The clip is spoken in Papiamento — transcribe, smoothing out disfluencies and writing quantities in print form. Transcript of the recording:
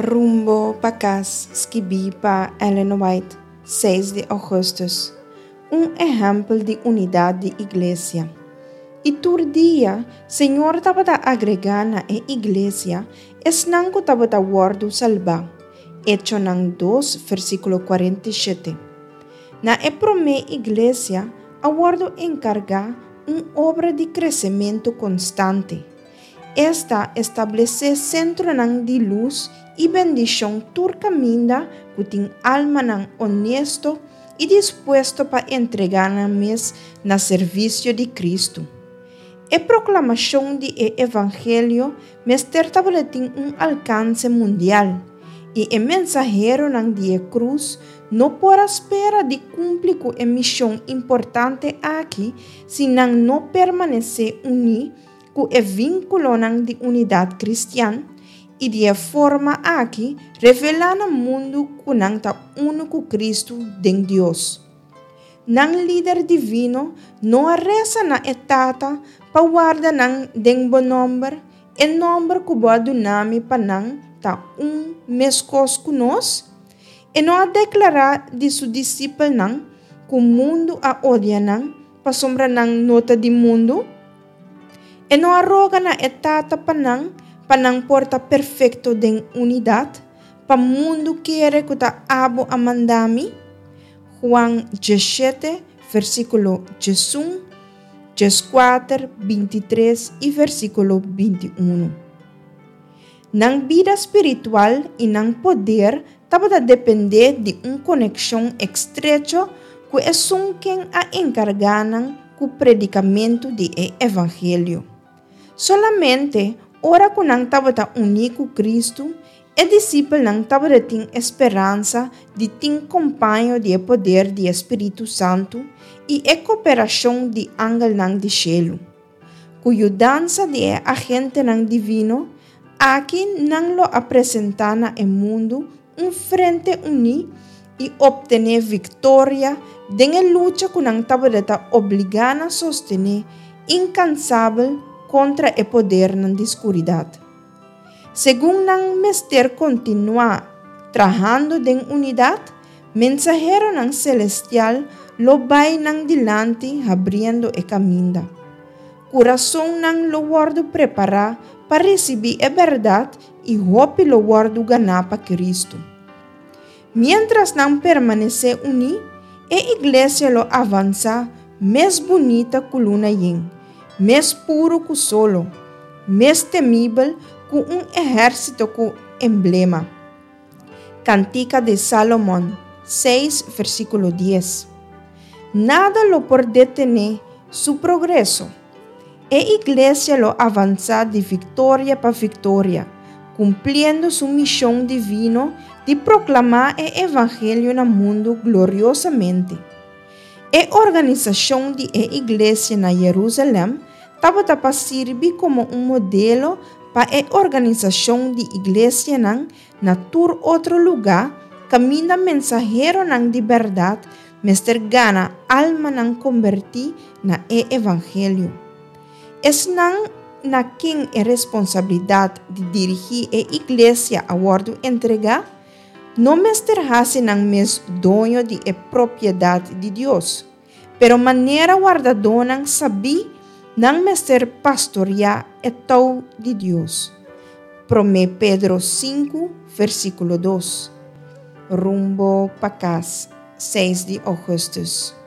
Rumbo pa kas, skibí pa Ellen White, 6 di ougùstùs. Un ehèmpel di unidat di iglesia. I tur dia Señor tabata agregá na e iglesia esnan ku tabata wòrdu salbá. Echonan 2, versíkulo 47. Na e promé iglesia a wòrdu enkargá un obra di kresementu konstante, esta establesé sentronan di lus i bendishon tur kaminda ku tin almanan onesto i dispuesto pa entregá nan mes na servisio di Kristu. E proklamashon di e evangelio mester tabatin un alkanse mundial, i e mensaheronan di e krus no por a spera di kumpli ku e mishon importante aki si nan no permanesé uní ku e vínkulonan di unidat kristian i di e forma aki revelá na mundu ku nan ta unu ku Kristu den Dios. Nan Lider Divino no a resa na e Tata pa warda nan den bo nòmber, e nòmber ku bo a duna mi pa nan ta un meskos ku nos? E no a deklará di su disipelnan ku mundu a odia nan pasobra nan no ta di mundu? E no a roga na e Tata pa nan, pa nan por ta perfekto den unidat, pa mundu kere ku ta abo a manda mi? Juan 17, versíkulo 11, 14, 23 i versíkulo 21. Nan bida spiritual i nan poder tabata dependé di un konekshon estrecho ku esun ken a enkargá nan ku predikamentu di e evangelio. Solamente ora ku nan tabata uní ku Kristu, e disipelnan tabatin e speransa di tin kompaño di e poder di e spiritu santu i e kooperashon di angelnan di shelu. Ku yudansa di e agentenan divino aki nan lo a presentá na e mundu un frente uní i optené viktoria den e lucha ku nan tabata obligá na sostené inkansabel kontra e podernan di skuridat. Segun nan mester kontinuá trahando den unidat, mensaheronan selestial lo bai nan dilanti habriendo e kaminda. Kurasonnan lo wòrdu prepará pa risibí e bèrdat i hopi lo wòrdu ganá pa Kristu. Miéntras nan permanesé uní, e iglesia lo avansá mes bunita ku luna yen, mes puru ku solo, mes temibel ku un ehérsito ku emblema. Kantika di Salomon 6, versíkulo 10. Nada lo por detené su progreso. E iglesia lo avansá di viktoria pa viktoria, kumpliendo su mishon divino di proklamá e evangelio na mundu gloriosamente. E organisashon di e iglesia na Yerusalèm tabata pa sirbi komo un modelo pa e organisashon di iglesianan na tur otro lugá kaminda mensaheronan di bèrdat mester gana almanan kombertí na e evangelio. Esnan na ken e responsabilidat di dirigí e iglesia a wòrdu entregá, no mester hasi nan mes doño di e propiedat di Dios, pero manera wardadónan sabí nan mester pastoriá e tou di Dios. Promé Pedro 5, versíkulo 2. Rumbo pa kas, 6 di ougùstùs.